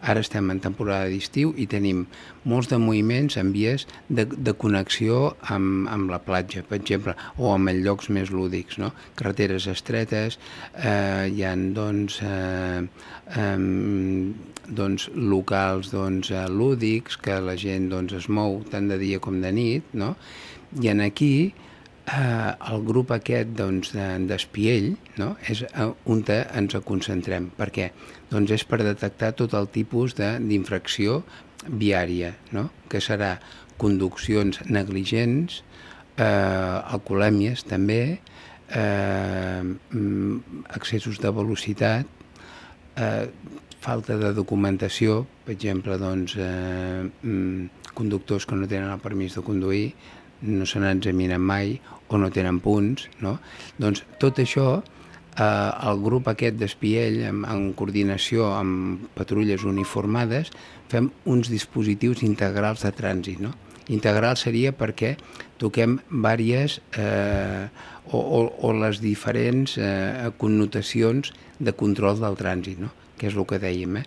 Ara estem en temporada d'estiu i tenim molts de moviments en vies de connexió amb la platja, per exemple, o amb llocs més lúdics, no? Carreteres estretes, hi ha locals lúdics que la gent es mou tant de dia com de nit, no? I aquí el grup aquest d'espiell, no? És on ens concentrem. Per què? Doncs és per detectar tot el tipus d'infracció viària, no? Que serà conduccions negligents, alcoholèmies també, excessos de velocitat, falta de documentació, per exemple, conductors que no tenen el permís de conduir, no se n'examinen mai o no tenen punts, no? Doncs tot això, el grup aquest d'espiell, en coordinació amb patrulles uniformades, fem uns dispositius integrals de trànsit, no? Integral seria perquè toquem diverses o les diferents connotacions de control del trànsit, no? Que és el que dèiem,